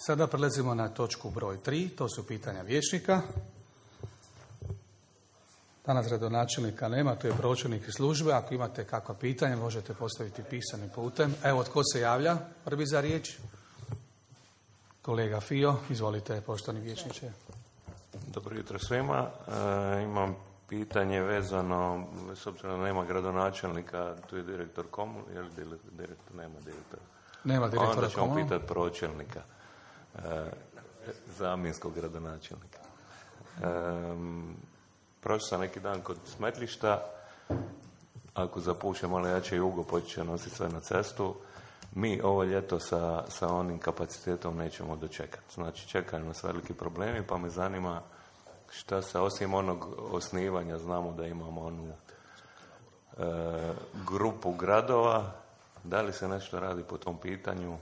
Sada prelazimo na točku broj 3, to su pitanja vijećnika. Danas gradonačelnika nema, to je pročelnik iz službe. Ako imate kakva pitanja, možete postaviti pisanim putem. Evo, tko se javlja prvi za riječ? Kolega Fio, izvolite, poštovani vijećniče. Dobro jutro svima. Imam pitanje vezano, s obzirom da nema gradonačelnika, tu je direktor nema direktora. Nema direktora. Onda ćemo pitati pročelnika, zamjenskog gradonačelnika. Prošao sam neki dan kod smetlišta, ako zapuše malo jače jugo, počet će nositi sve na cestu. Mi ovo ljeto sa onim kapacitetom nećemo dočekati. Znači, čekaju nas veliki problemi, pa me zanima šta se, osim onog osnivanja, znamo da imamo onu grupu gradova, da li se nešto radi po tom pitanju,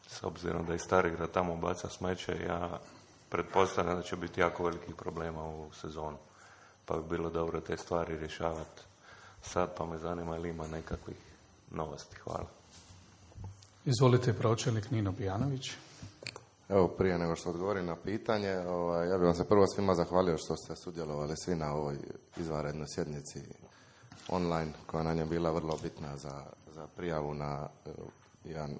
s obzirom da i Starigrad tamo baca smeće, ja pretpostavljam da će biti jako velikih problema u sezonu. Pa bi bilo dobro te stvari rješavati sad, pa me zanima ili ima nekakvih novosti. Hvala. Izvolite, pročelnik Nino Bijanović. Evo, prije nego što odgovorim na pitanje, ja bih vam se prvo svima zahvalio što ste sudjelovali svi na ovoj izvanrednoj sjednici online, koja nam je bila vrlo bitna za prijavu na jedan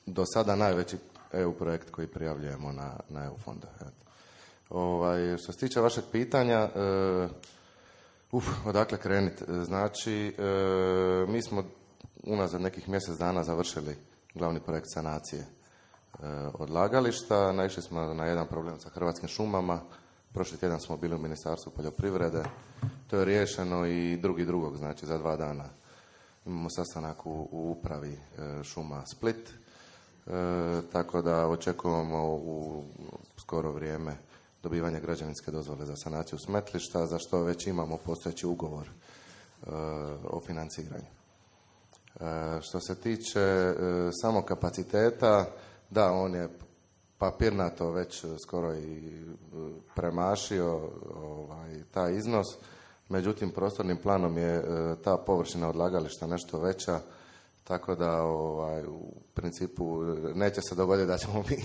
do sada najveći EU projekt koji prijavljujemo na EU fondove. Što se tiče vašeg pitanja, odakle krenuti? Znači, mi smo unazad nekih mjesec dana završili glavni projekt sanacije odlagališta. Naišli smo na jedan problem sa Hrvatskim šumama. Prošli tjedan smo bili u Ministarstvu poljoprivrede. To je riješeno i drugog, znači za 2 dana. Imamo sastanak u upravi šuma Split. Tako da očekujemo u skoro vrijeme dobivanje građevinske dozvole za sanaciju smetlišta, za što već imamo postojeći ugovor o financiranju. Što se tiče samog kapaciteta, da, on je papirnato već skoro i premašio taj iznos, međutim prostornim planom je ta površina odlagališta nešto veća, tako da u principu neće se dogoditi da ćemo mi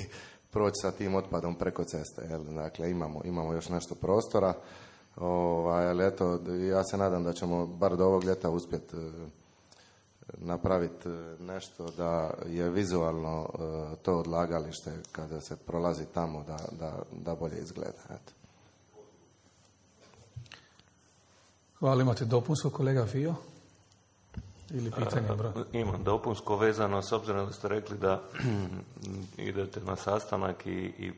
proći sa tim otpadom preko ceste. Dakle, imamo još nešto prostora, ali eto, ja se nadam da ćemo bar do ovog ljeta uspjeti napraviti nešto da je vizualno to odlagalište kada se prolazi tamo da bolje izgleda. Eto. Hvala, imate dopunsko, kolega Fio? Ili pitanje, bro? Imam dopunsko vezano, s obzirom da ste rekli da idete na sastanak i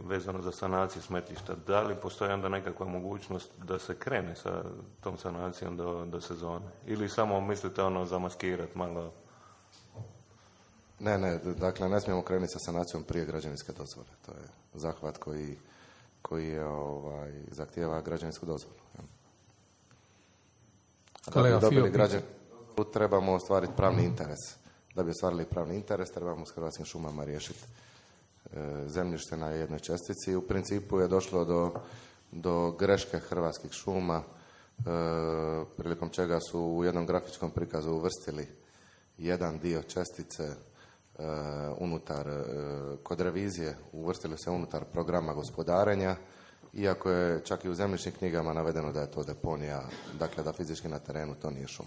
vezano za sanaciju smetlišta. Da li postoji onda nekakva mogućnost da se krene sa tom sanacijom do sezone? Ili samo mislite zamaskirati malo? Ne, dakle ne smijemo krenuti sa sanacijom prije građevinske dozvole. To je zahvat koji je zahtijeva građevinsku dozvolu. Kolega Fio, trebamo ostvariti pravni interes. Da bi ostvarili pravni interes, trebamo s Hrvatskim šumama riješiti zemljište na jednoj čestici. U principu je došlo do greške Hrvatskih šuma, prilikom čega su u jednom grafičkom prikazu uvrstili jedan dio čestice kod revizije, uvrstili se unutar programa gospodarenja, iako je čak i u zemljišnim knjigama navedeno da je to deponija, dakle da fizički na terenu to nije šum.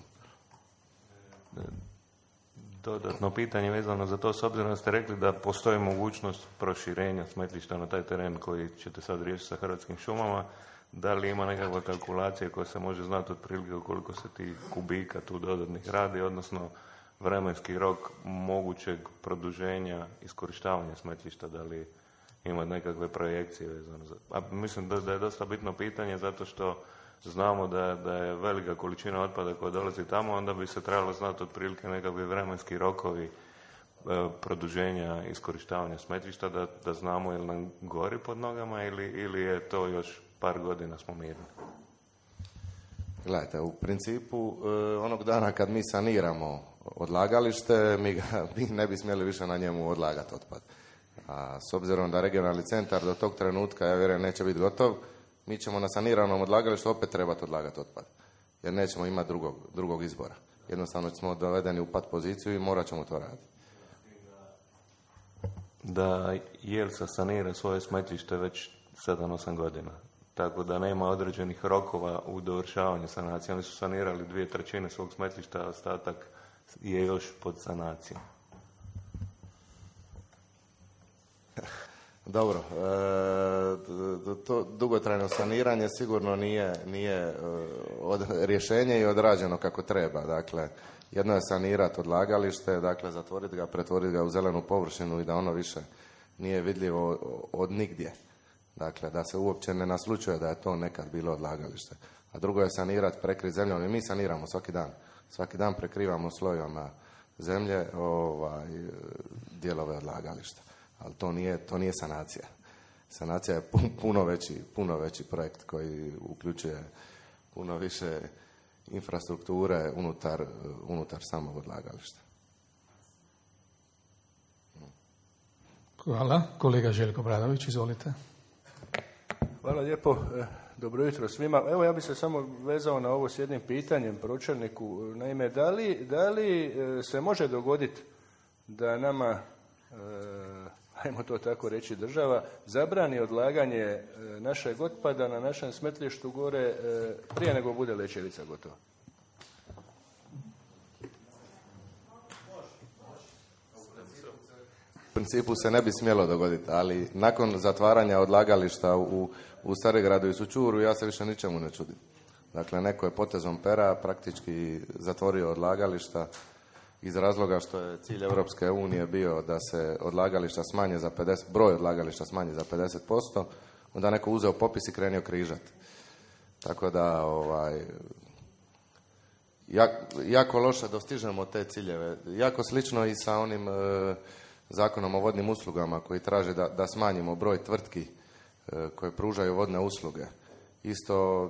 Dodatno pitanje vezano za to, s obzirom da ste rekli da postoji mogućnost proširenja smetlišta na taj teren koji ćete sad riješiti sa Hrvatskim šumama, da li ima nekakva kalkulacija koja se može znati otprilike koliko se ti kubika tu dodatnih radi, odnosno vremenski rok mogućeg produženja iskorištavanja smetlišta, da li ima nekakve projekcije vezano za... mislim da je dosta bitno pitanje zato što znamo da je velika količina otpada koja dolazi tamo, onda bi se trebalo znati otprilike nekakvi vremenski rokovi produženja iskorištavanja smetlišta, da znamo ili nam gori pod nogama ili je to još par godina smo mirni. Gledajte, u principu onog dana kad mi saniramo odlagalište, mi ne bi smjeli više na njemu odlagati otpad. A s obzirom da regionalni centar do tog trenutka, ja vjerujem, neće biti gotov, mi ćemo na saniranom odlagalištu opet trebati odlagati otpad. Jer nećemo imati drugog izbora. Jednostavno smo dovedeni u pat poziciju i morat ćemo to raditi. da Jelsa sanira svoje smetlište već 7-8 godina. Tako da nema određenih rokova u dovršavanju sanacije. Oni su sanirali 2/3 svog smetlišta, a ostatak je još pod sanacijom. Dobro, to dugotrajno saniranje sigurno nije rješenje i odrađeno kako treba. Dakle, jedno je sanirati odlagalište, dakle zatvoriti ga, pretvoriti ga u zelenu površinu i da ono više nije vidljivo od nigdje. Dakle, da se uopće ne naslučuje da je to nekad bilo odlagalište. A drugo je sanirati, prekriti zemljom i mi saniramo svaki dan. Svaki dan prekrivamo slojevima zemlje dijelove odlagališta. Ali to nije sanacija. Sanacija je puno veći projekt koji uključuje puno više infrastrukture unutar samog odlagališta. Hvala. Kolega Željko Bradović, izvolite. Hvala lijepo. Dobro jutro svima. Evo, ja bih se samo vezao na ovo s jednim pitanjem pročelniku. Naime, da li se može dogoditi da nama, ajmo to tako reći, država zabrani odlaganje našeg otpada na našem smetlištu gore prije nego bude Lećevica gotova? U principu se ne bi smjelo dogoditi, ali nakon zatvaranja odlagališta u Starigradu i Sućuru ja se više ničemu ne čudim. Dakle, neko je potezom pera praktički zatvorio odlagališta iz razloga što je cilj Europske unije bio da se odlagališta smanje za 50%, broj odlagališta smanji za 50%, onda neko uzeo popis i krenio križati. Tako da, jako loše dostižemo te ciljeve. Jako slično i sa onim Zakonom o vodnim uslugama koji traže da smanjimo broj tvrtki koje pružaju vodne usluge. Isto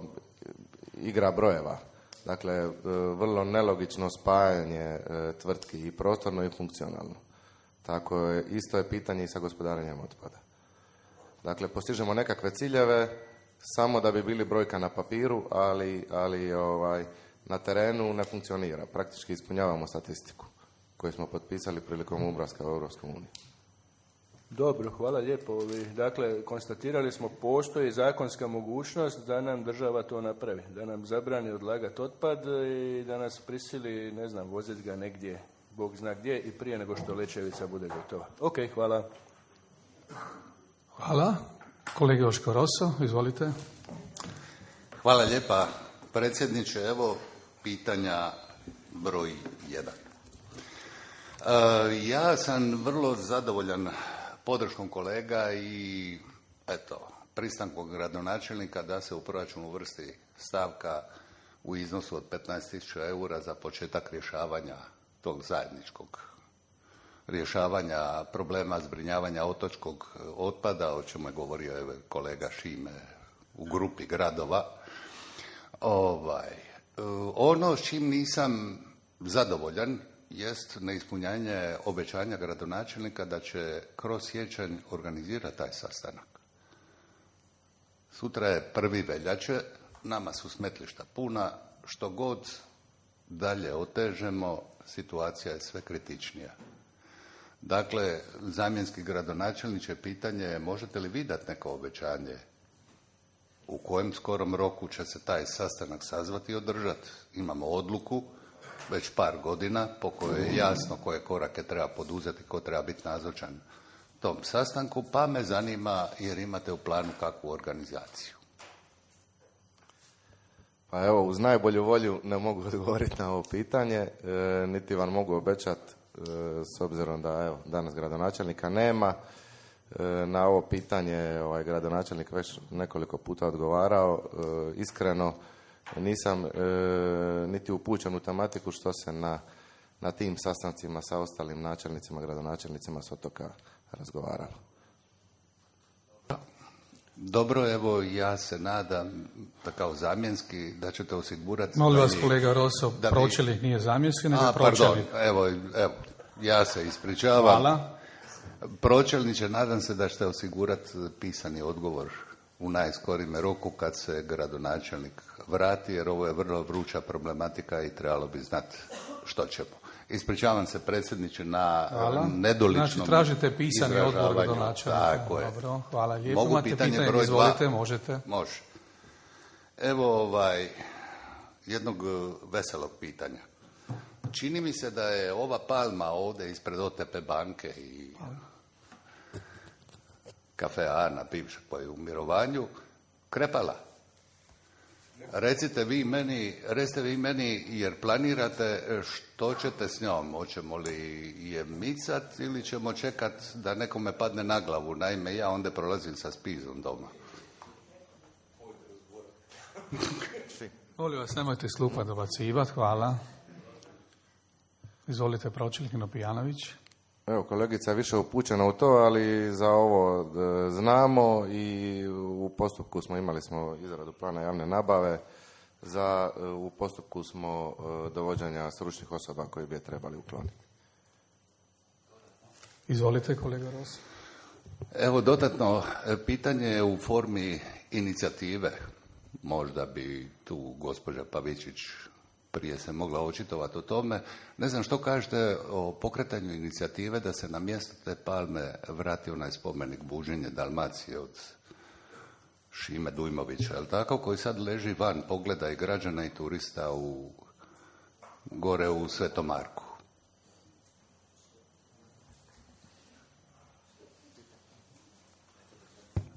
igra brojeva. Dakle, vrlo nelogično spajanje tvrtki i prostorno i funkcionalno. Tako je, isto je pitanje i sa gospodarenjem otpada. Dakle, postižemo nekakve ciljeve samo da bi bili brojka na papiru, ali na terenu ne funkcionira. Praktički ispunjavamo statistiku koju smo potpisali prilikom ulaska u Europsku uniju. Dobro, hvala lijepo. Dakle, konstatirali smo postoji zakonska mogućnost da nam država to napravi, da nam zabrani odlagati otpad i da nas prisili, ne znam, voziti ga negdje, Bog zna gdje, i prije nego što Lećevica bude gotova. Ok, hvala. Hvala. Kolega Joško Roso, izvolite. Hvala lijepa, predsjedniče. Evo pitanja broj 1. Ja sam vrlo zadovoljan podrškom kolega i pristankom gradonačelnika da se u proračun uvrsti stavka u iznosu od 15.000 eura za početak rješavanja tog zajedničkog rješavanja problema zbrinjavanja otočkog otpada, o čemu je govorio kolega Šime u grupi gradova. Ono s čim nisam zadovoljan jest neispunjanje obećanja gradonačelnika da će kroz siječanj organizirati taj sastanak. Sutra je 1. veljače, nama su smetlišta puna, što god dalje otežemo, situacija je sve kritičnija. Dakle, zamjenski gradonačelniče, pitanje je možete li vi dati neko obećanje u kojem skorom roku će se taj sastanak sazvati i održati. Imamo odluku već par godina po kojoj je jasno koje korake treba poduzeti, ko treba biti nazočan tom sastanku, pa me zanima jer imate u planu kakvu organizaciju. Pa evo, uz najbolju volju ne mogu odgovoriti na ovo pitanje, niti vam mogu obećati, s obzirom da danas gradonačelnika nema. Na ovo pitanje gradonačelnik već nekoliko puta odgovarao. Iskreno nisam niti upućen u tematiku što se na tim sastancima sa ostalim načelnicima, gradonačelnicima s otoka razgovaralo. Dobro, evo ja se nadam da kao zamjenski da ćete osigurati... Molim vas kolega Roso, pročelnik nije zamjenski, nego pročelnik. Evo, ja se ispričavam. Hvala. Pročelniče, nadam se da ćete osigurati pisani odgovor u najskorijem roku kad se gradonačelnik vrati, jer ovo je vrlo vruća problematika i trebalo bi znati što ćemo. Ispričavam se predsjedniče na Hvala. nedoličnom Znači, tražite pisani odgovor do izražavanju. načelnika. Tako je. Dobro, hvala lijepo. Mogu Imate pitanje pitanje, broj izvolite, 2? možete. Može. Evo jednog veselog pitanja. Čini mi se da je ova palma ovdje ispred OTP banke i Kafe Ana, bivšeg pa je u mirovanju, krepala. Recite vi meni, jer planirate što ćete s njom. Hoćemo li je micat ili ćemo čekat da nekome padne na glavu? Naime, ja onda prolazim sa spizom doma. Molim vas, nemojte s klupa dobacivati, hvala. Izvolite, pročelnik Nopijanović. Evo, kolegica je više upućena u to, ali za ovo znamo i u postupku imali smo izradu plana javne nabave, u postupku smo dovođenja stručnih osoba koji bi je trebali ukloniti. Izvolite, kolega Ros. Evo, dodatno pitanje je u formi inicijative. Možda bi tu gospođa Pavičić prije se mogla očitovati o tome. Ne znam što kažete o pokretanju inicijative da se na mjesto te palme vrati onaj spomenik Buženje Dalmacije od Šime Dujmovića, je li tako, koji sad leži van pogleda i građana i turista gore u Svetom Marku.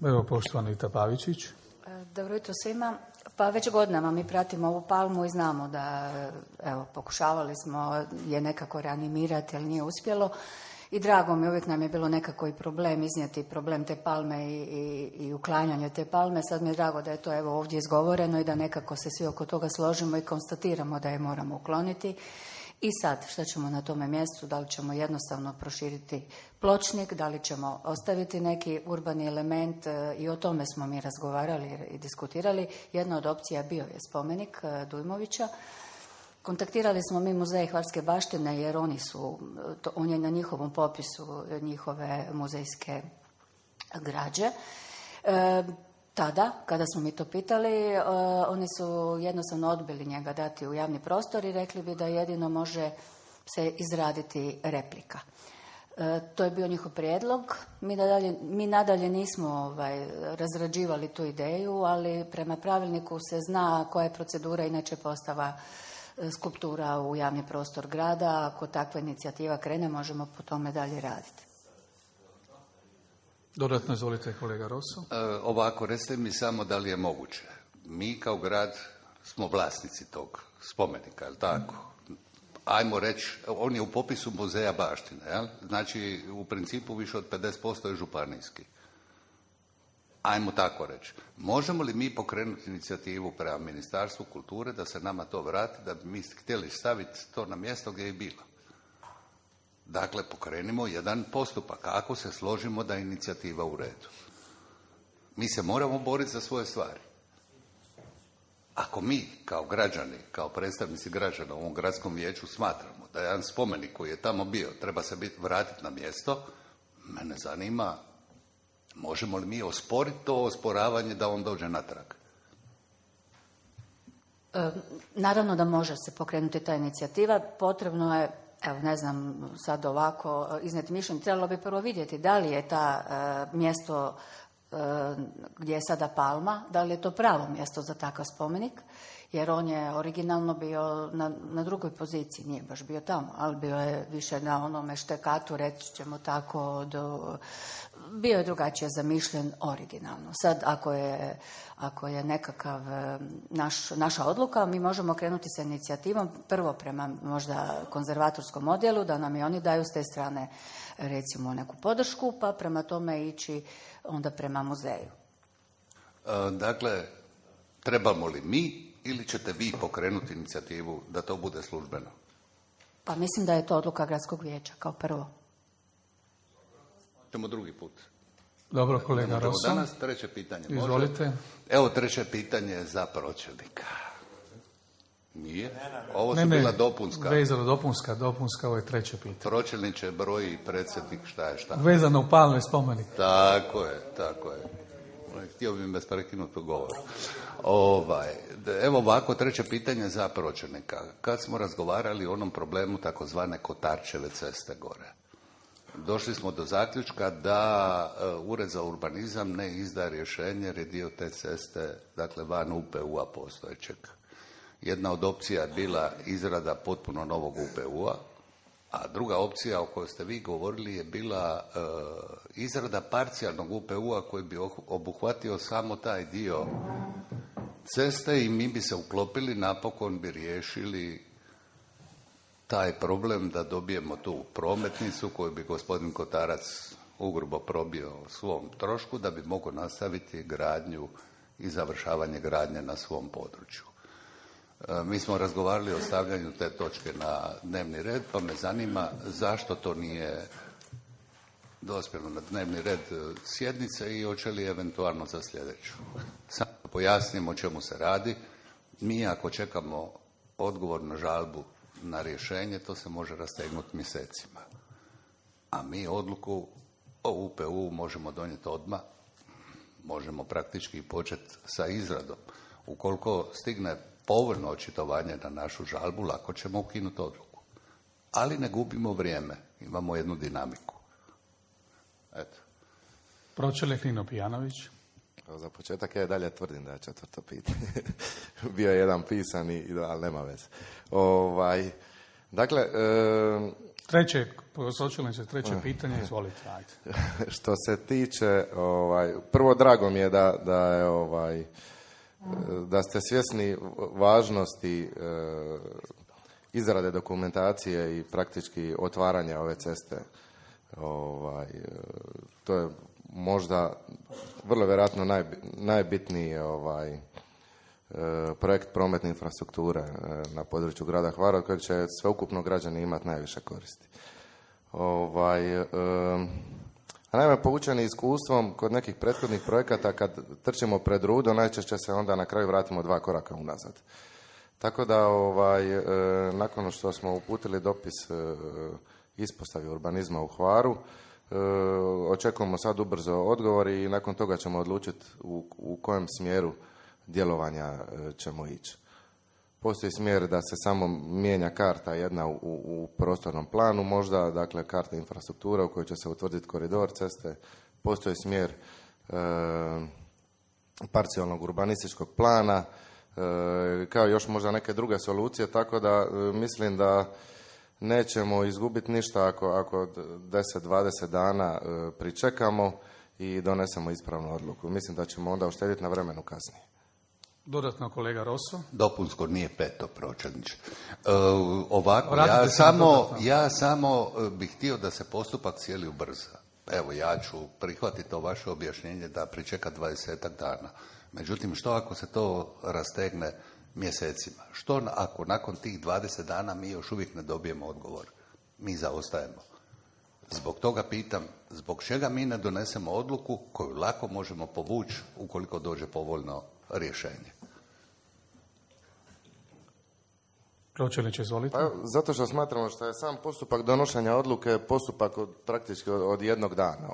Evo, poštovani Ita Pavičić. Dobro jutro svima. Pa već godinama mi pratimo ovu palmu i znamo da, evo, pokušavali smo je nekako reanimirati, ali nije uspjelo. I drago mi, uvijek nam je bilo nekako i problem iznijeti problem te palme i uklanjanje te palme. Sad mi je drago da je to evo ovdje izgovoreno i da nekako se svi oko toga složimo i konstatiramo da je moramo ukloniti. I sad, što ćemo na tome mjestu? Da li ćemo jednostavno proširiti pločnik, da li ćemo ostaviti neki urbani element, i o tome smo mi razgovarali i diskutirali. Jedna od opcija bio je spomenik Dujmovića. Kontaktirali smo mi muzej Hvarske baštine jer on je na njihovom popisu njihove muzejske građe. Tada, kada smo mi to pitali, oni su jednostavno odbili njega dati u javni prostor i rekli bi da jedino može se izraditi replika. To je bio njihov prijedlog. Mi nadalje nismo razrađivali tu ideju, ali prema pravilniku se zna koja je procedura inače postava skulptura u javni prostor grada. Ako takva inicijativa krene, možemo po tome dalje raditi. Dodatno izvolite, kolega Rosso. Ovako, recite mi samo da li je moguće. Mi kao grad smo vlasnici tog spomenika, je li tako? Ajmo reći, on je u popisu muzeja baštine, jel? Znači, u principu više od 50% je županijski. Ajmo tako reći. Možemo li mi pokrenuti inicijativu prema Ministarstvu kulture da se nama to vrati, da bi mi htjeli staviti to na mjesto gdje je bilo? Dakle, pokrenimo jedan postupak, ako se složimo da je inicijativa u redu. Mi se moramo boriti za svoje stvari. Ako mi, kao građani, kao predstavnici građana u ovom gradskom vijeću smatramo da jedan spomenik koji je tamo bio treba se vratiti na mjesto, mene zanima, možemo li mi osporiti to osporavanje da on dođe natrag? Naravno da može se pokrenuti ta inicijativa. Potrebno je, evo ne znam sad ovako iznijeti mišljenje, trebalo bi prvo vidjeti da li je ta mjesto gdje je sada palma, da li je to pravo mjesto za takav spomenik, jer on je originalno bio na drugoj poziciji, nije baš bio tamo, ali bio je više na onome štekatu, reći ćemo tako, bio je drugačije zamišljen originalno. Sad, ako je nekakav naša odluka, mi možemo krenuti sa inicijativom prvo prema možda konzervatorskom odjelu, da nam i oni daju s te strane recimo neku podršku, pa prema tome ići onda prema muzeju. Dakle, trebamo li mi ili ćete vi pokrenuti inicijativu da to bude službeno? Pa mislim da je to odluka gradskog vijeća kao prvo. Ćemo drugi put. Dobro, kolega Rosso. Danas treće pitanje. Izvolite. Može? Evo treće pitanje za pročelnika. Nije? Ovo su bila dopunska. Vezano dopunska, ovo je treće pitanje. Pročelniče, broji predsjednik, šta je šta. Vezano u palme spomenik. Tako je. htio bi me prekinuti govor. Evo ovako, treće pitanje za pročelnika. Kad smo razgovarali o onom problemu takozvane Kotarčeve ceste gore, došli smo do zaključka da Ured za urbanizam ne izda rješenje jer je dio te ceste, dakle van UPU-a postojećeg. Jedna od opcija je bila izrada potpuno novog UPU-a, a druga opcija o kojoj ste vi govorili je bila izrada parcijalnog UPU-a koji bi obuhvatio samo taj dio ceste i mi bi se uklopili, napokon bi riješili taj problem da dobijemo tu prometnicu koju bi gospodin Kotarac ugrubo probio svom trošku da bi mogao nastaviti gradnju i završavanje gradnje na svom području. Mi smo razgovarali o stavljanju te točke na dnevni red, pa me zanima zašto to nije dospjelo na dnevni red sjednice i hoće li eventualno za sljedeću. Samo pojasnimo o čemu se radi. Mi ako čekamo odgovor na žalbu na rješenje, to se može rastegnuti mjesecima. A mi odluku o UPU možemo donijeti odmah, možemo praktički početi sa izradom. Ukoliko stigne povoljno očitovanje na našu žalbu, lako ćemo ukinuti odluku. Ali ne gubimo vrijeme, imamo jednu dinamiku. Eto. Pročelnik Nino Pijanović. Za početak ja dalje tvrdim da je četvrto pitanje. Bio je jedan pisani, ali nema veze. Dakle... Treće pitanje, izvolite. Ajde. Što se tiče, prvo drago mi je da ste svjesni važnosti izrade dokumentacije i praktički otvaranja ove ceste. To je možda vrlo vjerojatno najbitniji projekt prometne infrastrukture na području grada Hvara, od kojeg će sveukupno građani imati najviše koristi. Naime, poučeni iskustvom kod nekih prethodnih projekata, kad trčimo pred rudo, najčešće se onda na kraju vratimo 2 koraka unazad. Tako da, nakon što smo uputili dopis ispostavi urbanizma u Hvaru, očekujemo sad ubrzo odgovor i nakon toga ćemo odlučiti u kojem smjeru djelovanja ćemo ići. Postoji smjer da se samo mijenja karta jedna u prostornom planu, možda, dakle, karta infrastruktura u kojoj će se utvrditi koridor ceste. Postoji smjer parcijalnog urbanističkog plana, kao još možda neke druge solucije, tako da mislim da nećemo izgubiti ništa ako 10-20 dana pričekamo i donesemo ispravnu odluku. Mislim da ćemo onda uštediti na vremenu kasnije. Dodatno kolega Rosso. Dopunsko nije peto, pročelniče. Ja samo bih htio da se postupak cijeli ubrza. Evo, ja ću prihvatiti to vaše objašnjenje da pričeka 20 dana. Međutim, što ako se to rastegne mjesecima? Što ako nakon tih 20 dana mi još uvijek ne dobijemo odgovor? Mi zaostajemo. Zbog toga pitam, zbog čega mi ne donesemo odluku koju lako možemo povući ukoliko dođe povoljno rješenje? Pročelniče, izvolite. Pa, zato što smatramo što je sam postupak donošenja odluke postupak praktički od jednog dana.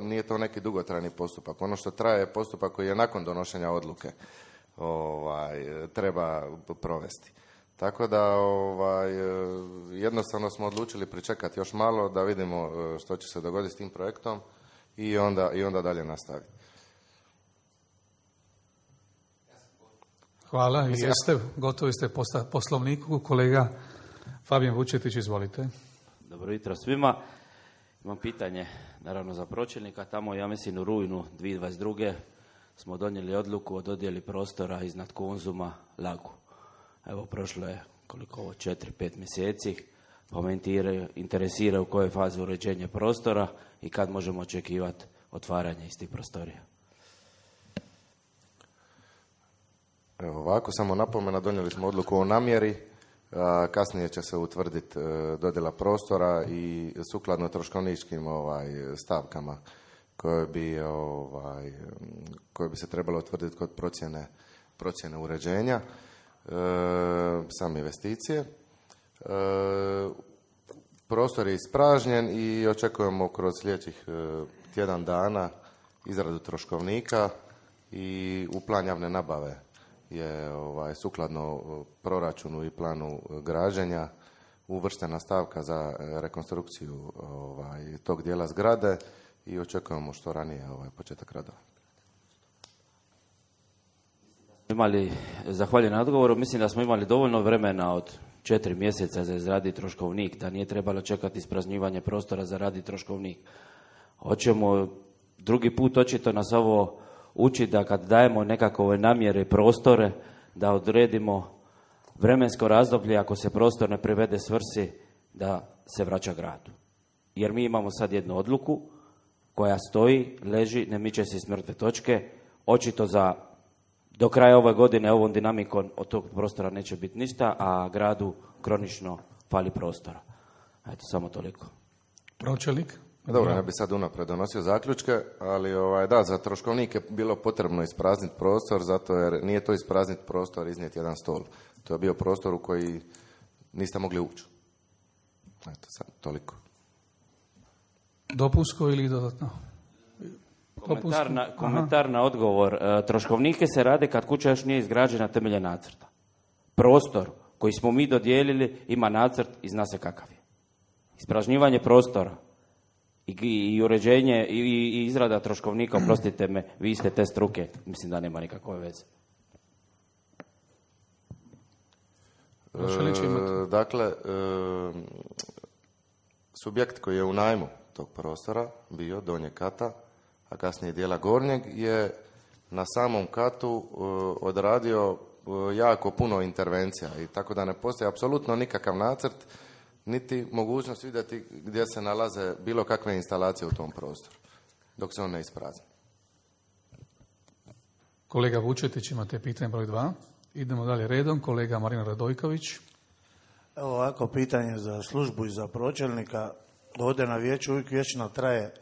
Nije to neki dugotrajni postupak. Ono što traje je postupak koji je nakon donošenja odluke treba provesti. Tako da jednostavno smo odlučili pričekati još malo da vidimo što će se dogoditi s tim projektom i onda dalje nastaviti. Hvala. I gotovi ste poslovniku. Kolega Fabijan Vučetić, izvolite. Dobro jutro svima. Imam pitanje, naravno, za pročelnika. Tamo, ja mislim, u rujnu 2022. smo donijeli odluku o dodjeli prostora iznad Konzuma Lagu. Evo, prošlo je 4-5 mjeseci. Pa me interesira u kojoj fazi uređenja prostora i kad možemo očekivati otvaranje istih prostorija. Evo ovako, samo napomena, donijeli smo odluku o namjeri, kasnije će se utvrditi dodjela prostora i sukladno troškovničkim stavkama koje bi se trebalo utvrditi kod procjene uređenja, same investicije. Prostor je ispražnjen i očekujemo kroz sljedećih tjedan dana izradu troškovnika i u plan javne nabave je sukladno proračunu i planu građenja uvrštena stavka za rekonstrukciju tog dijela zgrade i očekujemo što ranije početak radova. Zahvaljujem na odgovoru. Mislim da smo imali dovoljno vremena od 4 mjeseca za izraditi troškovnik, da nije trebalo čekati ispražnjivanje prostora za raditi troškovnik. Hoćemo drugi put očito nas ovo uči da kad dajemo nekakve namjere i prostore, da odredimo vremensko razdoblje, ako se prostor ne privede svrsi, da se vraća gradu. Jer mi imamo sad jednu odluku koja stoji, leži, ne miče se iz mrtve točke, očito do kraja ove godine ovom dinamikom od tog prostora neće biti ništa, a gradu kronično fali prostora. Eto, samo toliko. Pročelnik? Dobro, ne bi sad unaprijed donosio zaključke, ali da, za troškovnik je bilo potrebno isprazniti prostor, zato jer nije to isprazniti prostor, iznijeti jedan stol. To je bio prostor u koji niste mogli ući. Eto, sad toliko. Dopunsko ili dodatno? Komentar na odgovor. Troškovnike se rade kad kuća još nije izgrađena temeljem nacrta. Prostor koji smo mi dodijelili ima nacrt i zna se kakav je. Ispražnjivanje prostora i uređenje i izrada troškovnika, oprostite me, vi ste te struke, mislim da nema nikakve veze. Dakle, subjekt koji je u najmu tog prostora bio donjeg kata, a kasnije dijela gornjeg, je na samom katu odradio jako puno intervencija i tako da ne postoji apsolutno nikakav nacrt niti mogućnost vidjeti gdje se nalaze bilo kakve instalacije u tom prostoru dok se on ne isprazni. Kolega Vučetić, imate pitanje broj 2. Idemo dalje redom. Kolega Marina Radojković. Evo ovako pitanje za službu i za pročelnika. Ovdje na vijeću uvijek vječno traje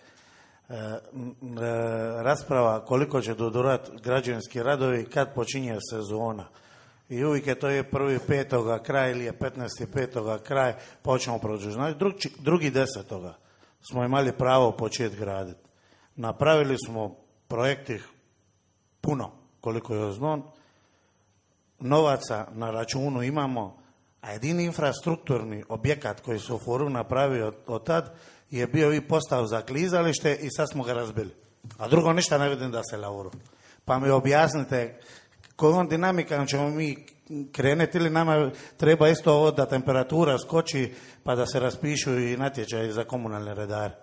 rasprava koliko će dodurati građevinski radovi kad počinje sezona. I uvijek je to je 1.5. kraj ili je 15.5. kraj, pa ćemo produžiti. Znači, 2.10. smo imali pravo početi graditi. Napravili smo projekti puno, koliko je znon. Novaca na računu imamo, a jedini infrastrukturni objekat koji su u Foru napravio od tad je bio i postav za klizalište i sad smo ga razbili. A drugo ništa ne vidim da se lauru. Pa mi objasnite kojom dinamikom ćemo mi krenuti ili nama treba isto ovo da temperatura skoči pa da se raspišu i natječaji za komunalne redare.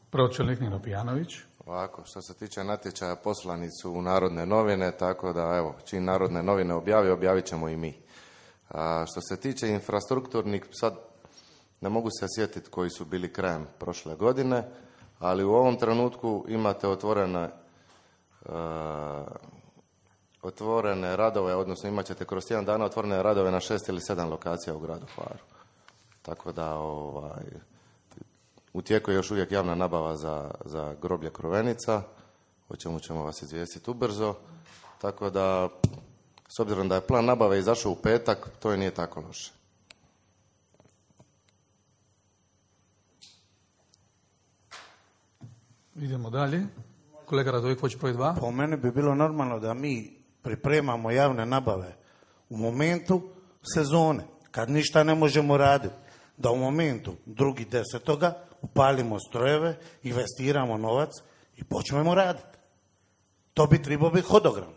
Pročelnik Nino Pijanović. Ovako, što se tiče natječaja, poslani su u Narodne novine, tako da evo, čim Narodne novine objavit ćemo i mi. A što se tiče infrastrukturnih, sad ne mogu se sjetiti koji su bili krajem prošle godine, ali u ovom trenutku imate otvorene radove, odnosno imat ćete kroz tjedan dana otvorene radove na 6 ili 7 lokacija u gradu Hvaru. Tako da u tijeku je još uvijek javna nabava za groblje Krovenica, o čemu ćemo vas izvijestiti ubrzo. Tako da, s obzirom da je plan nabave izašao u petak, to i nije tako loše. Idemo dalje. Kolega Radojković, broj 2. Po meni bi bilo normalno da mi pripremamo javne nabave u momentu sezone, kad ništa ne možemo raditi. Da u momentu 2.10. upalimo strojeve, investiramo novac i počnemo raditi. To bi trebao biti hodogram.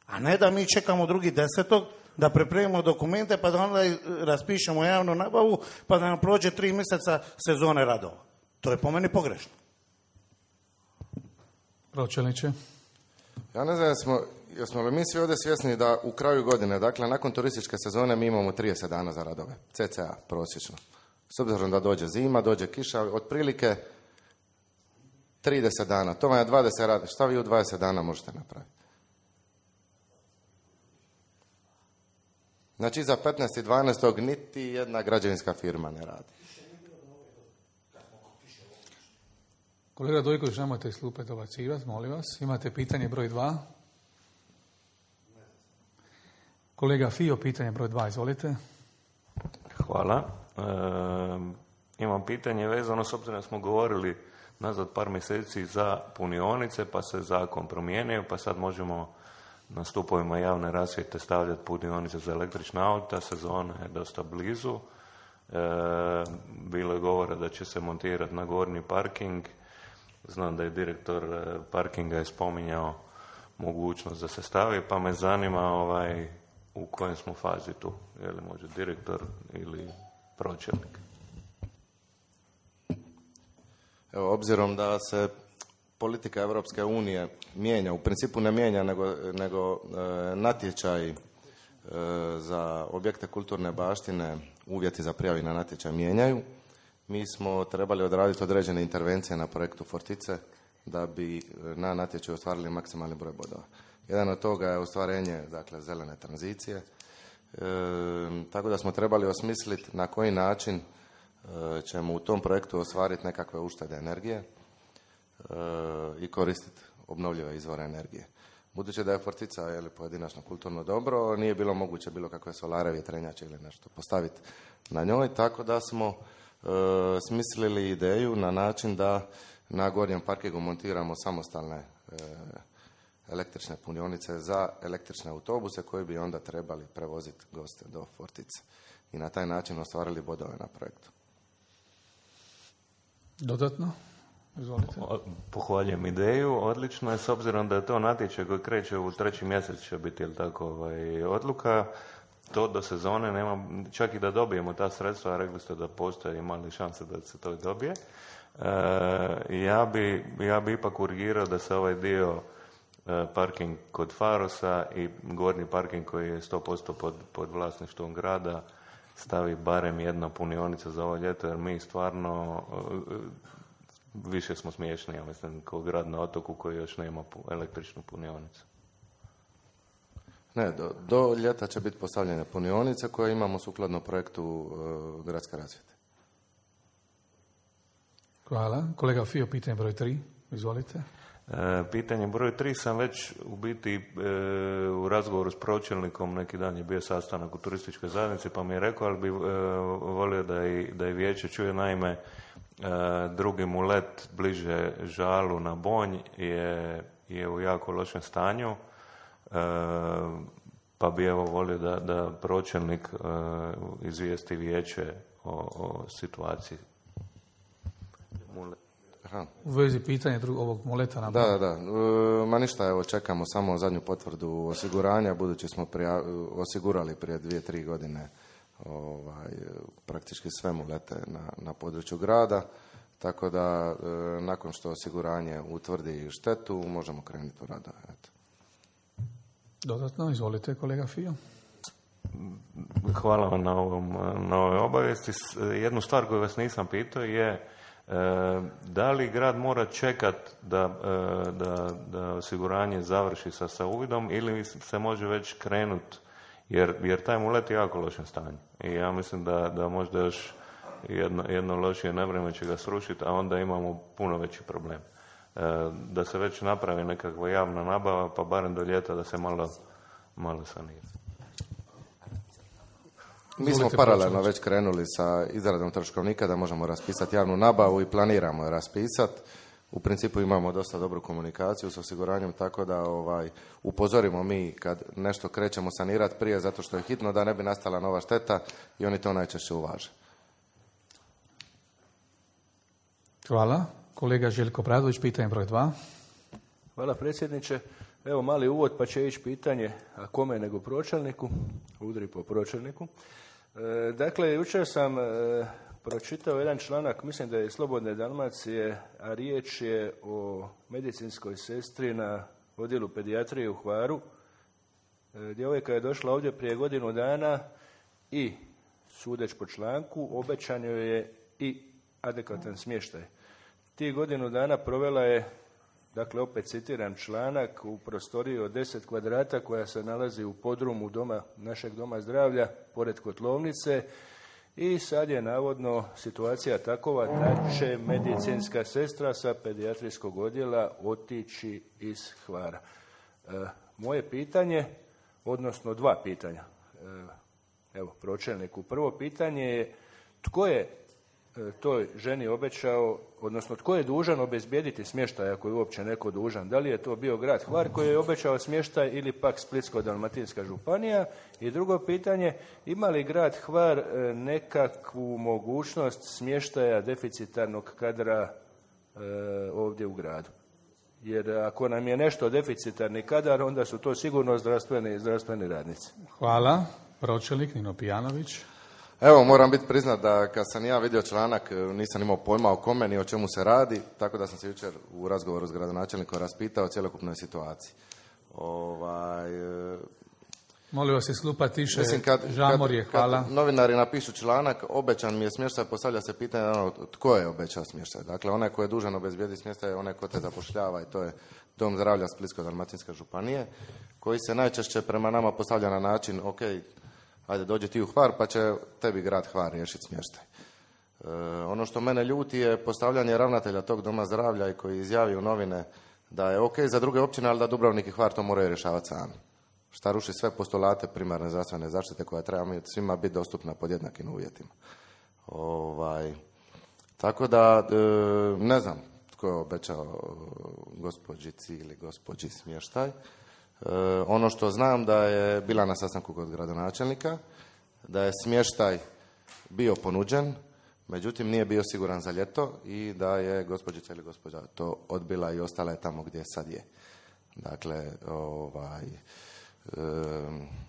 A ne da mi čekamo 2.10. da pripremimo dokumente pa da onda raspišemo javnu nabavu pa da nam prođe 3 mjeseca sezone radova. To je po meni pogrešno. Pročelniče. Ja ne znam, jesmo li mi svi ovdje svjesni da u kraju godine, dakle nakon turističke sezone mi imamo 30 dana za radove, cca prosječno. S obzirom da dođe zima, dođe kiša, otprilike 30 dana, to vam je 20 rada, šta vi u 20 dana možete napraviti? Znači za 15.12. niti jedna građevinska firma ne radi. Kolega Dojković, nemojte iz klupe dobacivati, molim vas. Imate pitanje broj 2. Kolega Fio, pitanje broj 2, izvolite. Hvala. Imam pitanje vezano, s obzirom da smo govorili nazad par mjeseci za punionice, pa se zakon promijenio, pa sad možemo na stupovima javne rasvjete stavljati punionice za električna auta, sezona je dosta blizu. Bilo je govora da će se montirati na gornji parking. Znam da je direktor parkinga je spominjao mogućnost da se stavi, pa me zanima u kojem smo fazi tu. Je li može direktor ili pročelnik? Evo, obzirom da se politika Europske unije mijenja, u principu ne mijenja, nego natječaj za objekte kulturne baštine, uvjeti za prijavi na natječaj mijenjaju. Mi smo trebali odraditi određene intervencije na projektu Fortice da bi na natječaju ostvarili maksimalni broj bodova. Jedan od toga je ostvarenje, dakle, zelene tranzicije. Tako da smo trebali osmisliti na koji način ćemo u tom projektu ostvariti nekakve uštede energije i koristiti obnovljive izvore energije. Budući da je Fortica pojedinačno kulturno dobro, nije bilo moguće bilo kakve solare, vjetrenjače ili nešto postaviti na njoj, tako da smo smislili ideju na način da na gornjem parkingu montiramo samostalne električne punionice za električne autobuse koji bi onda trebali prevoziti goste do Fortice i na taj način ostvarili bodove na projektu. Dodatno? Izvolite. Pohvaljujem ideju, odlično je, s obzirom da je to natječaj koji kreće u 3. mjesec će biti, jel tako, odluka, to do sezone nema, čak i da dobijemo ta sredstva, rekli ste da postoje mali šanse da se to dobije. Ja bi ipak urgirao da se ovaj dio parking kod Farosa i gornji parking koji je 100% pod vlasništvom grada stavi barem jedna punionica za ovo ljeto, jer mi stvarno više smo smiješni, ja mislim, kao grad na otoku koji još nema električnu punionicu. Ne, do ljeta će biti postavljene punionice koje imamo sukladno projektu gradske rasvjete. Hvala. Kolega Fio, pitanje broj 3. Izvolite. Pitanje broj 3 sam već u biti u razgovoru s pročelnikom, neki dan je bio sastanak u turističkoj zajednici, pa mi je rekao, ali bi volio da i vijeće čuje, naime, drugi mulet bliže Žalu na Bonj je u jako lošem stanju, pa bi evo volio da pročelnik izvijesti vijeće o situaciji. Aha. U vezi pitanja ovog muleta na Bonj. Da. Ma ništa, evo čekamo samo zadnju potvrdu osiguranja, budući smo osigurali prije 2-3 godine praktički sve mulete na području grada, tako da nakon što osiguranje utvrdi štetu, možemo krenuti u radove. Eto. Dodatno, izvolite kolega Fio. Hvala vam na ovoj obavijesti. Jednu stvar koju vas nisam pitao je da li grad mora čekat da osiguranje završi sa uvidom ili se može već krenuti, jer taj mulet je jako lošem stanju. I ja mislim da možda još jedno lošije nevrijeme će ga srušiti, a onda imamo puno veći problem. Da se već napravi nekakva javna nabava, pa barem do ljeta da se malo sanira. Mi smo paralelno već krenuli sa izradom troškovnika da možemo raspisati javnu nabavu i planiramo je raspisati. U principu imamo dosta dobru komunikaciju s osiguranjem, tako da upozorimo mi kad nešto krećemo sanirati prije zato što je hitno, da ne bi nastala nova šteta i oni to najčešće uvaže. Hvala. Kolega Željko Bradović, pitanje broj 2. Hvala predsjedniče. Evo mali uvod pa će ići pitanje, a kome nego pročelniku, udri po pročelniku. Dakle, jučer sam pročitao jedan članak, mislim da je Slobodne Dalmacije, a riječ je o medicinskoj sestri na odjelu pedijatrije u Hvaru. Djevojka je došla ovdje prije godinu dana i, sudeć po članku, obećan joj je i adekvatan smještaj. Tih godinu dana provela je, dakle opet citiram članak, u prostoriji od 10 kvadrata koja se nalazi u podrumu našeg doma zdravlja, pored kotlovnice, i sad je navodno situacija takova da će medicinska sestra sa pedijatrijskog odjela otići iz Hvara. Moje pitanje, odnosno 2 pitanja, evo pročelniku. Prvo pitanje je, tko je toj ženi obećao, odnosno tko je dužan obezbijediti smještaj ako je uopće neko dužan? Da li je to bio grad Hvar koji je obećao smještaj ili pak Splitsko-dalmatinska županija? I drugo pitanje, ima li grad Hvar nekakvu mogućnost smještaja deficitarnog kadra ovdje u gradu? Jer ako nam je nešto deficitarni kadar, onda su to sigurno zdravstveni radnici. Hvala. Pročelnik Nino Pijanović. Evo, moram biti priznat da kad sam ja vidio članak, nisam imao pojma o kome ni o čemu se radi, tako da sam se jučer u razgovoru s gradonačelnikom raspitao o cjelokupnoj situaciji. Molim vas isklupa tiše, žamorje, hvala. Kad novinari napišu članak, obećan mi je smještaj, postavlja se pitanje tko je obećao smještaj. Dakle, onaj ko je dužan obezbijediti smještaj je onaj ko te zapošljava i to je Dom zdravlja Splitsko-dalmatinske županije, koji se najčešće prema nama postavlja na način, ok, ajde dođi ti u Hvar pa će tebi grad Hvar riješiti smještaj. Ono što mene ljuti je postavljanje ravnatelja tog doma zdravlja i koji izjavi u novine da je ok za druge općine, ali da Dubrovnik i Hvar to moraju rješavati sami. Šta ruši sve postulate primarne zdravstvene zaštite koja treba svima biti dostupna pod jednakim uvjetima. Tako da ne znam tko je obećao gospođici ili gospođi smještaj. Ono što znam da je bila na sastanku kod gradonačelnika, da je smještaj bio ponuđen, međutim nije bio siguran za ljeto i da je gospođica ili gospođa to odbila i ostala je tamo gdje sad je. Dakle,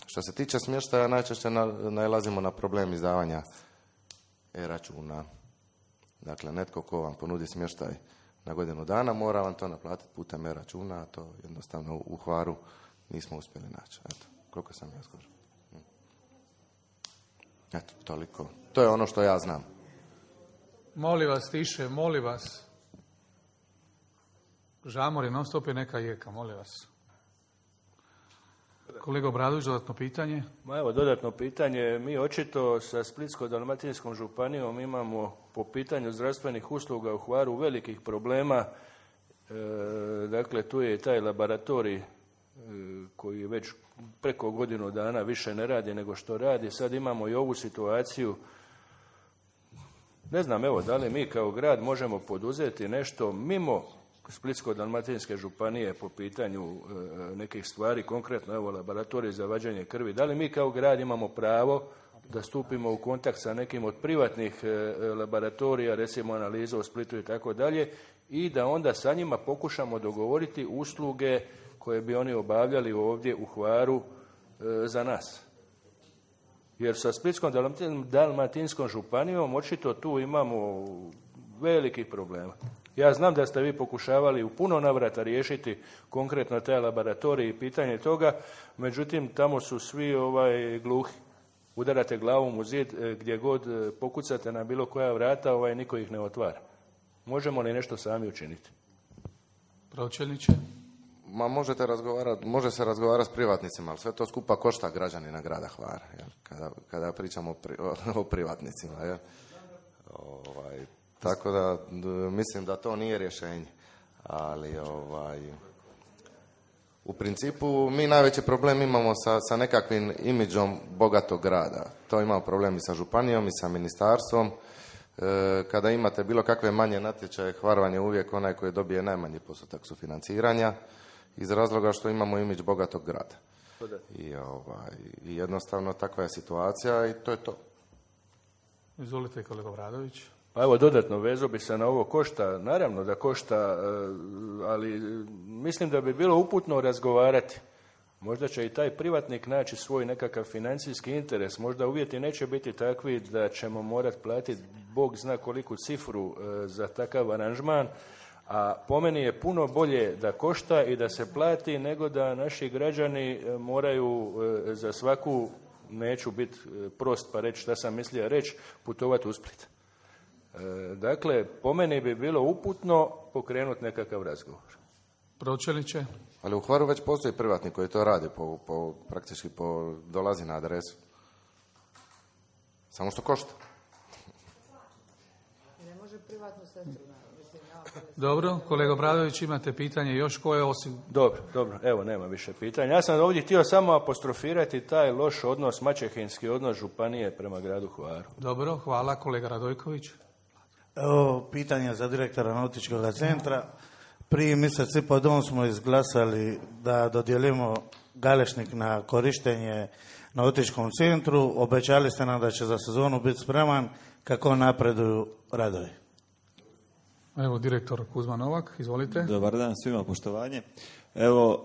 što se tiče smještaja, najčešće nailazimo na problem izdavanja e-računa. Dakle, netko ko vam ponudi smještaj na godinu dana, mora vam to naplatiti putem e-računa, a to jednostavno u Hvaru nismo uspjeli naći. Eto, koliko sam ja skoro. Eto, toliko. To je ono što ja znam. Molim vas tiše, molim vas. Žamor je non stop je neka jeka, molim vas. Kolega Obradović, dodatno pitanje? Evo, dodatno pitanje. Mi očito sa Splitsko-dalmatinskom županijom imamo po pitanju zdravstvenih usluga u Hvaru velikih problema. Dakle, tu je i taj laboratorij koji već preko godinu dana više ne radi nego što radi. Sad imamo i ovu situaciju. Ne znam, evo, da li mi kao grad možemo poduzeti nešto mimo Splitsko-dalmatinske županije po pitanju nekih stvari, konkretno evo laboratorij za vađenje krvi. Da li mi kao grad imamo pravo da stupimo u kontakt sa nekim od privatnih laboratorija, recimo analiza u Splitu i tako dalje, i da onda sa njima pokušamo dogovoriti usluge koje bi oni obavljali ovdje u Hvaru za nas. Jer sa Splitskom-dalmatinskom županijom očito tu imamo velikih problema. Ja znam da ste vi pokušavali u puno navrata riješiti konkretno taj laboratorij i pitanje toga, međutim tamo su svi gluhi. Udarate glavom u zid gdje god pokucate na bilo koja vrata, niko ih ne otvara. Možemo li nešto sami učiniti? Pročelniče? Može se razgovarati s privatnicima, ali sve to skupa košta građanina grada Hvara, kada pričamo o privatnicima. Tako da mislim da to nije rješenje, ali u principu mi najveći problem imamo sa nekakvim imidžom bogatog grada. To imamo problem i sa županijom i sa ministarstvom. Kada imate bilo kakve manje natječaje, Hvar vam je uvijek onaj koji dobije najmanji postotak sufinanciranja iz razloga što imamo imidž bogatog grada. I jednostavno takva je situacija i to je to. Izvolite, kolega Obradović. Pa evo, dodatno vezo bi se na ovo košta. Naravno da košta, ali mislim da bi bilo uputno razgovarati. Možda će i taj privatnik naći svoj nekakav financijski interes. Možda uvjeti neće biti takvi da ćemo morati platiti Bog zna koliku cifru za takav aranžman, a po meni je puno bolje da košta i da se plati nego da naši građani moraju za svaku, neću biti prost pa reći šta sam mislio reći, putovati u Split. Dakle, po meni bi bilo uputno pokrenuti nekakav razgovor. Pročelniče? Ali u Hvaru već postoji privatnik koji to radi, praktički dolazi na adresu. Samo što košta. Ne može privatnu sestru. Dobro, kolega Obradović, imate pitanje još koje osim... Dobro, evo, nema više pitanja. Ja sam ovdje htio samo apostrofirati taj loš odnos, maćehinski odnos županije prema gradu Hvaru. Dobro, hvala, kolega Radojković. Evo, pitanje za direktora nautičkog centra. Prije mjesec i po dom smo izglasali da dodijelimo Galešnik na korištenje nautičkom centru. Obećali ste nam da će za sezonu biti spreman. Kako napreduju radovi? Evo, direktor Kuzma Novak, izvolite. Dobar dan svima, poštovanje. Evo,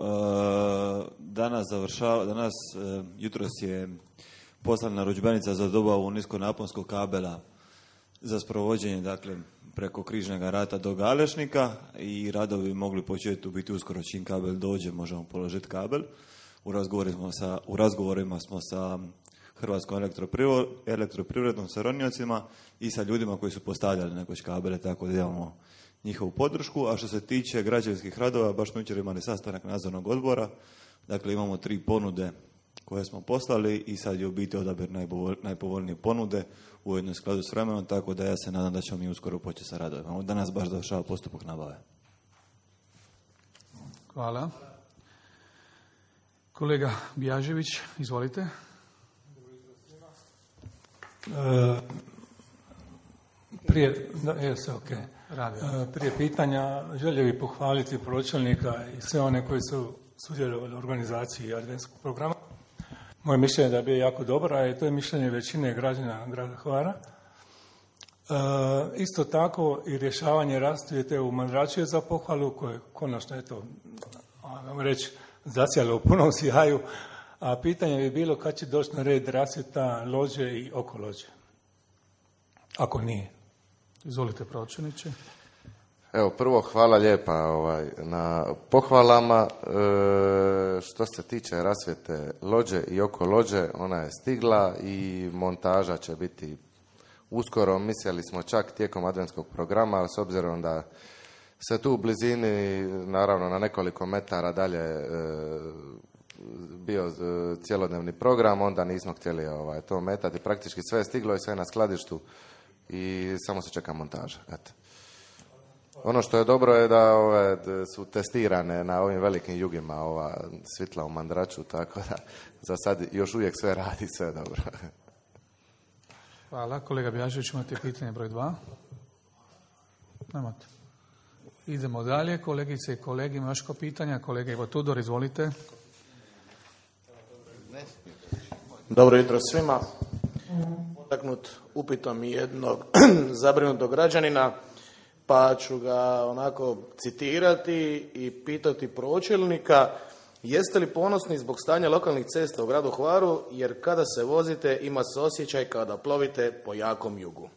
jutros je poslana narudžbenica za dobavu niskonaponskog kabela za sprovođenje, dakle, preko Križnog rata do Galešnika i radovi bi mogli početi u biti uskoro čim kabel dođe, možemo položiti kabel. U razgovorima smo sa Hrvatskom elektroprivrednom sa roniocima i sa ljudima koji su postavljali nekoć kabele, tako da imamo njihovu podršku. A što se tiče građevinskih radova, baš smo jučer imali sastanak nadzornog odbora, dakle imamo 3 ponude koje smo poslali i sad je u biti odabir najpovoljnije ponude u jednom skladu s vremenom, tako da ja se nadam da ćemo mi uskoro početi sa radovima. Danas baš završava postupak nabave. Hvala. Kolega Bjažević, izvolite. Prije pitanja želio bih pohvaliti pročelnika i sve one koji su sudjelovali u organizaciji adventskog programa. Moje mišljenje je da je bio jako dobar, a to je mišljenje većine građana grada Hvara. Isto tako i rješavanje rasvjete u Mandraču je za pohvalu, koje konačno reći zacijalo u punom sjaju, a pitanje bi bilo kad će doći na red rasvjeta lođe i oko lođe. Ako nije. Izvolite, pročelniče. Evo, prvo hvala lijepa na pohvalama. Što se tiče rasvjete lođe i oko lođe, ona je stigla i montaža će biti uskoro. Mislili smo čak tijekom adventskog programa, ali s obzirom da se tu u blizini, naravno na nekoliko metara dalje bio cjelodnevni program, onda nismo htjeli to metati. Praktički sve je stiglo i sve je na skladištu i samo se čeka montaža. Eto. Ono što je dobro je da su testirane na ovim velikim jugima ova svitla u Mandraču, tako da za sad još uvijek sve radi, sve je dobro. Hvala. Kolega Bjažević, imate pitanje broj 2? Nemate. Idemo dalje. Kolegice i kolege, ima još ko pitanja? Kolega Ivo Tudor, izvolite. Dobro jutro svima. Potaknut upitom jednog zabrinutog građanina, pa ću ga onako citirati i pitati pročelnika: jeste li ponosni zbog stanja lokalnih cesta u gradu Hvaru, jer kada se vozite ima se osjećaj kada plovite po jakom jugu?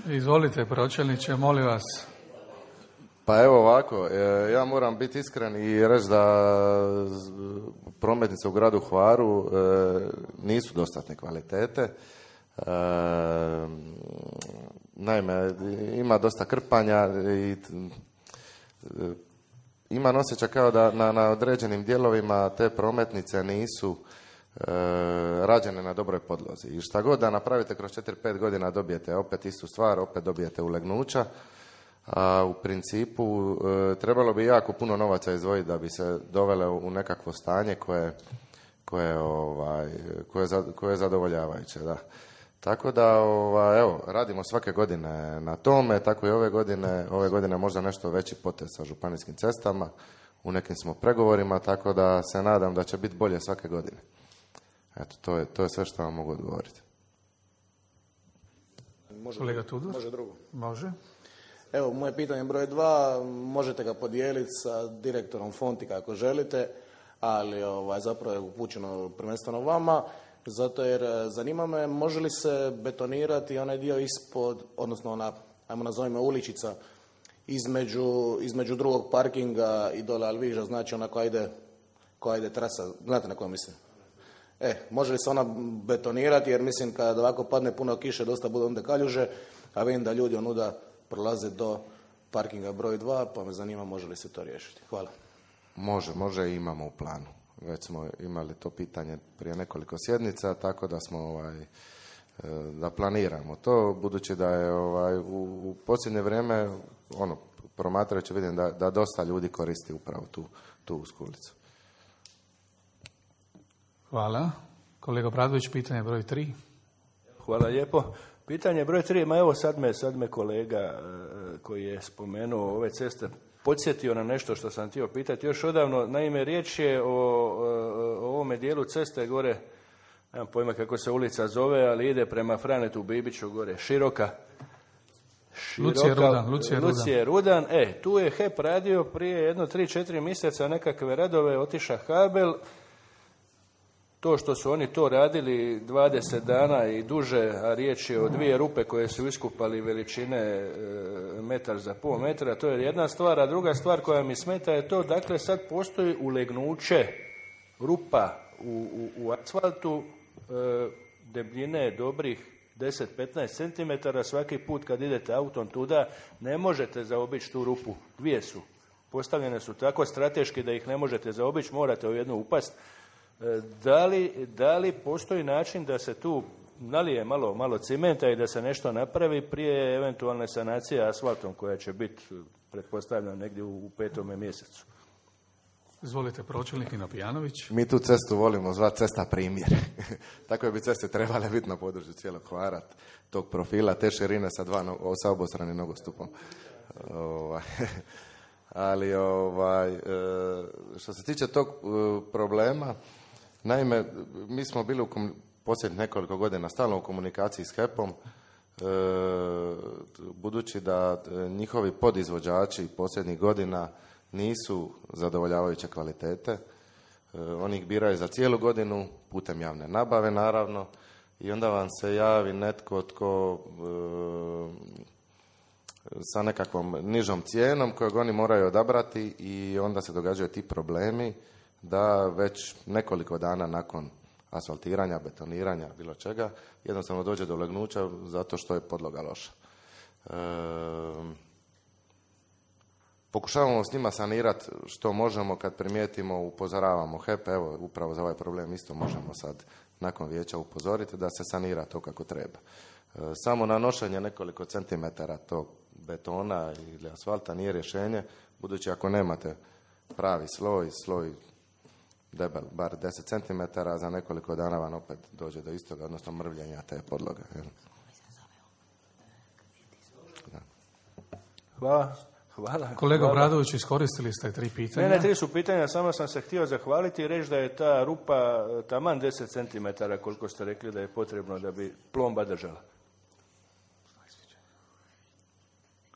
Izvolite, pročelniče, molim vas. Pa evo ovako, ja moram biti iskren i reći da prometnice u gradu Hvaru nisu dostatne kvalitete. Naime, ima dosta krpanja i imam osjećaj kao da na određenim dijelovima te prometnice nisu rađene na dobroj podlozi. I šta god da napravite kroz 4-5 godina dobijete opet istu stvar, opet dobijete ulegnuća. A u principu trebalo bi jako puno novaca izdvojiti da bi se dovele u nekakvo stanje koje je zadovoljavajuće. Da. Tako da evo, radimo svake godine na tome, tako i ove godine možda nešto veći potez sa županijskim cestama, u nekim smo pregovorima, tako da se nadam da će biti bolje svake godine. Eto, to je sve što vam mogu odgovoriti. Kolega Tudor? Može drugo. Može. Evo, moje pitanje broj 2, možete ga podijeliti sa direktorom Fontika ako želite, ali zapravo je upućeno prvenstveno vama, zato jer zanima me može li se betonirati onaj dio ispod, odnosno ona, ajmo nazovimo uličica, između drugog parkinga i dole Alviža, znači ona koja ide trasa, znate na koju mislim? Može li se ona betonirati, jer mislim kad ovako padne puno kiše, dosta bude onda kaljuže, a vidim da ljudi onuda prolaze do parkinga broj 2, pa me zanima može li se to riješiti. Hvala. Može i imamo u planu. Već smo imali to pitanje prije nekoliko sjednica, tako da smo da planiramo to, budući da je u posljednje vrijeme promatrajući vidim da dosta ljudi koristi upravo tu usku ulicu. Hvala. Kolega Bradović, pitanje broj 3. Hvala lijepo. Pitanje broj 3, ma evo sad me kolega koji je spomenuo ove ceste podsjetio na nešto što sam htio pitati još odavno. Naime, riječ je o ovome dijelu ceste gore, nemam pojma kako se ulica zove, ali ide prema Franetu Bibiću gore, široka. Lucije Rudan. Tu je HEP radio prije 3-4 mjeseca nekakve radove, otiša kabel. To što su oni to radili 20 dana i duže, a riječ je o 2 rupe koje su iskupali veličine metar za pol metra, to je jedna stvar, a druga stvar koja mi smeta je to, dakle sad postoji ulegnuće rupa u asfaltu debljine dobrih 10-15 cm, svaki put kad idete autom tuda ne možete zaobići tu rupu, 2 su. Postavljene su tako strateški da ih ne možete zaobići, morate u jednu upast. Da li postoji način da se tu nalije malo cimenta i da se nešto napravi prije eventualne sanacije asfaltom koja će biti, pretpostavljam, negdje u 5. mjesecu? Izvolite, pročelnik Nino Pijanović. Mi tu cestu volimo zvati cesta primjer. Tako bi ceste trebale biti na području cijelog Hvara, tog profila, te širine sa obostranim nogostupom. Ali što se tiče tog problema, naime, mi smo bili posljednjih nekoliko godina stalno u komunikaciji s HEP-om, budući da njihovi podizvođači posljednjih godina nisu zadovoljavajuće kvalitete. Oni ih biraju za cijelu godinu, putem javne nabave naravno, i onda vam se javi netko tko sa nekakvom nižom cijenom kojeg oni moraju odabrati i onda se događaju ti problemi da već nekoliko dana nakon asfaltiranja, betoniranja, bilo čega, jednostavno dođe do ulegnuća zato što je podloga loša. Pokušavamo s njima sanirati što možemo, kad primijetimo, upozoravamo HEP, evo upravo za ovaj problem isto možemo sad nakon vijeća upozoriti da se sanira to kako treba. Samo nanošenje nekoliko centimetara tog betona ili asfalta nije rješenje, budući ako nemate pravi sloj debel bar 10 cm, za nekoliko dana vam opet dođe do istoga, odnosno mrvljenja te podloge. Hvala. Kolega Bradović, iskoristili ste 3 pitanja. Ne, 3 su pitanja, samo sam se htio zahvaliti i reći da je ta rupa taman 10 cm, koliko ste rekli da je potrebno da bi plomba držala.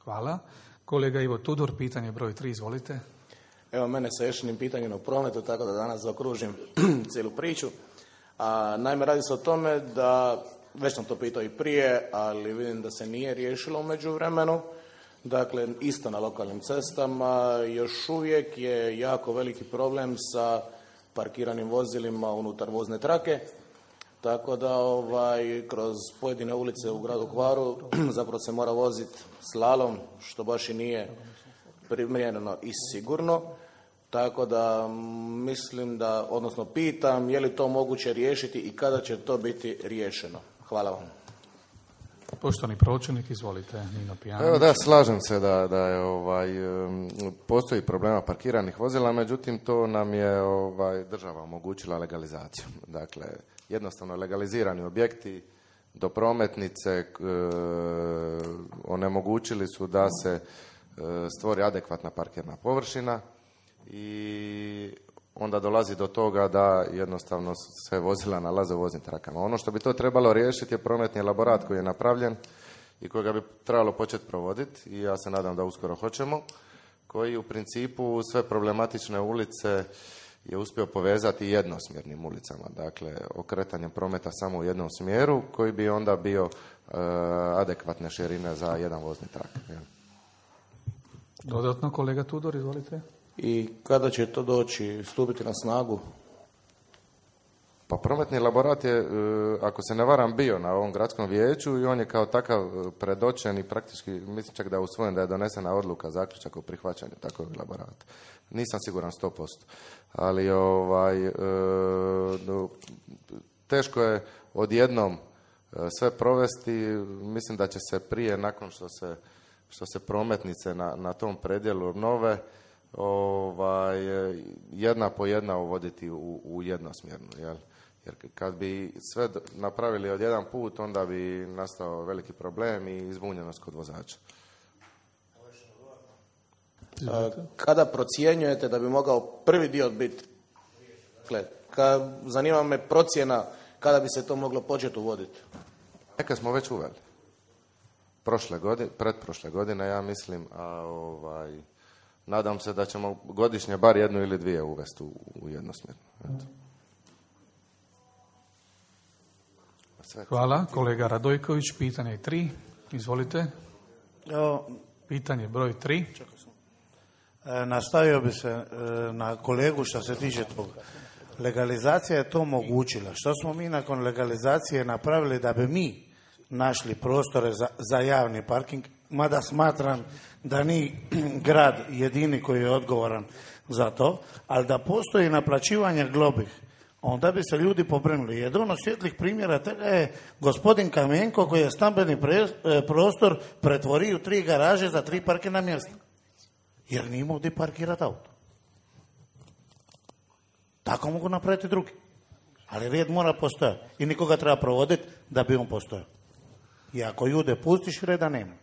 Hvala. Kolega Ivo Tudor, pitanje broj 3, izvolite. Evo mene sa još jednim pitanjem o prometu, tako da danas zaokružim cijelu priču. Naime, radi se o tome da, već sam to pitao i prije, ali vidim da se nije riješilo u međuvremenu. Dakle, isto na lokalnim cestama, još uvijek je jako veliki problem sa parkiranim vozilima unutar vozne trake, tako da kroz pojedine ulice u gradu Hvaru zapravo se mora voziti slalom, što baš i nije primjereno i sigurno, tako da mislim da, odnosno pitam, je li to moguće riješiti i kada će to biti riješeno? Hvala vam. Poštovani pročelnik, izvolite, Nino Pijanović. Evo da, slažem se da je postoji problema parkiranih vozila, međutim to nam je država omogućila legalizaciju. Dakle, jednostavno legalizirani objekti do prometnice onemogućili su da se stvori adekvatna parkirna površina i onda dolazi do toga da jednostavno sve vozila nalaze u voznim trakama. Ono što bi to trebalo riješiti je prometni elaborat koji je napravljen i kojega bi trebalo početi provoditi, i ja se nadam da uskoro hoćemo, koji u principu sve problematične ulice je uspio povezati jednosmjernim ulicama, dakle okretanjem prometa samo u jednom smjeru koji bi onda bio adekvatne širine za jedan vozni trak. Dodatno, kolega Tudor, izvolite. I kada će to doći, stupiti na snagu? Pa prometni elaborat je, ako se ne varam, bio na ovom gradskom vijeću i on je kao takav predočen i praktički, mislim čak da je usvojen, da je donesena odluka, zaključak o prihvaćanju takvog elaborata. Nisam siguran 100%, ali teško je odjednom sve provesti. Mislim da će se prije, nakon što se prometnice na tom predjelu obnove, jedna po jedna uvoditi u jednosmjernu, jer Jer kad bi sve napravili od jedan put, onda bi nastao veliki problem i izbunjenost kod vozača. Kada procjenjujete da bi mogao prvi dio biti? Dakle, zanima me procjena kada bi se to moglo početi uvoditi. Neka smo već uveli. Pretprošle godine, ja mislim, nadam se da ćemo godišnje bar 1 ili 2 uvesti u jednosmjerno. Hvala. Kolega Radojković, pitanje 3. Izvolite. Pitanje broj 3. Nastavio bi se na kolegu što se tiče toga. Legalizacija je to omogućila. Što smo mi nakon legalizacije napravili da bi mi našli prostore za javni parking, mada smatram da ni grad jedini koji je odgovoran za to, ali da postoji naplaćivanje globih, onda bi se ljudi pobrinuli. Jedan od svjetlih primjera toga je gospodin Kamenko koji je stambeni prostor pretvorio u 3 garaže za 3 parkirna mjesta. Jer nije imao gdje parkirati auto. Tako mogu napraviti drugi. Ali red mora postojati. I nikoga treba provoditi da bi on postojao. I ako ljude pustiš, reda nema.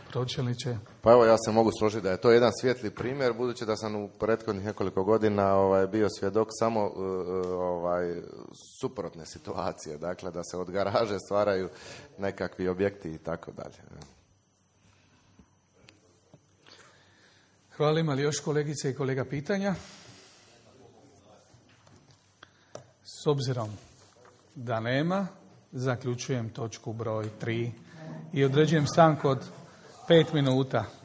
Pročelniče. Pa evo, ja se mogu složiti da je to jedan svijetli primjer, budući da sam u prethodnih nekoliko godina bio svjedok samo suprotne situacije. Dakle, da se od garaže stvaraju nekakvi objekti i tako dalje. Hvala. Ima li još kolegice i kolega pitanja? S obzirom da nema, zaključujem točku broj 3 i određujem stanku od 5 minuta.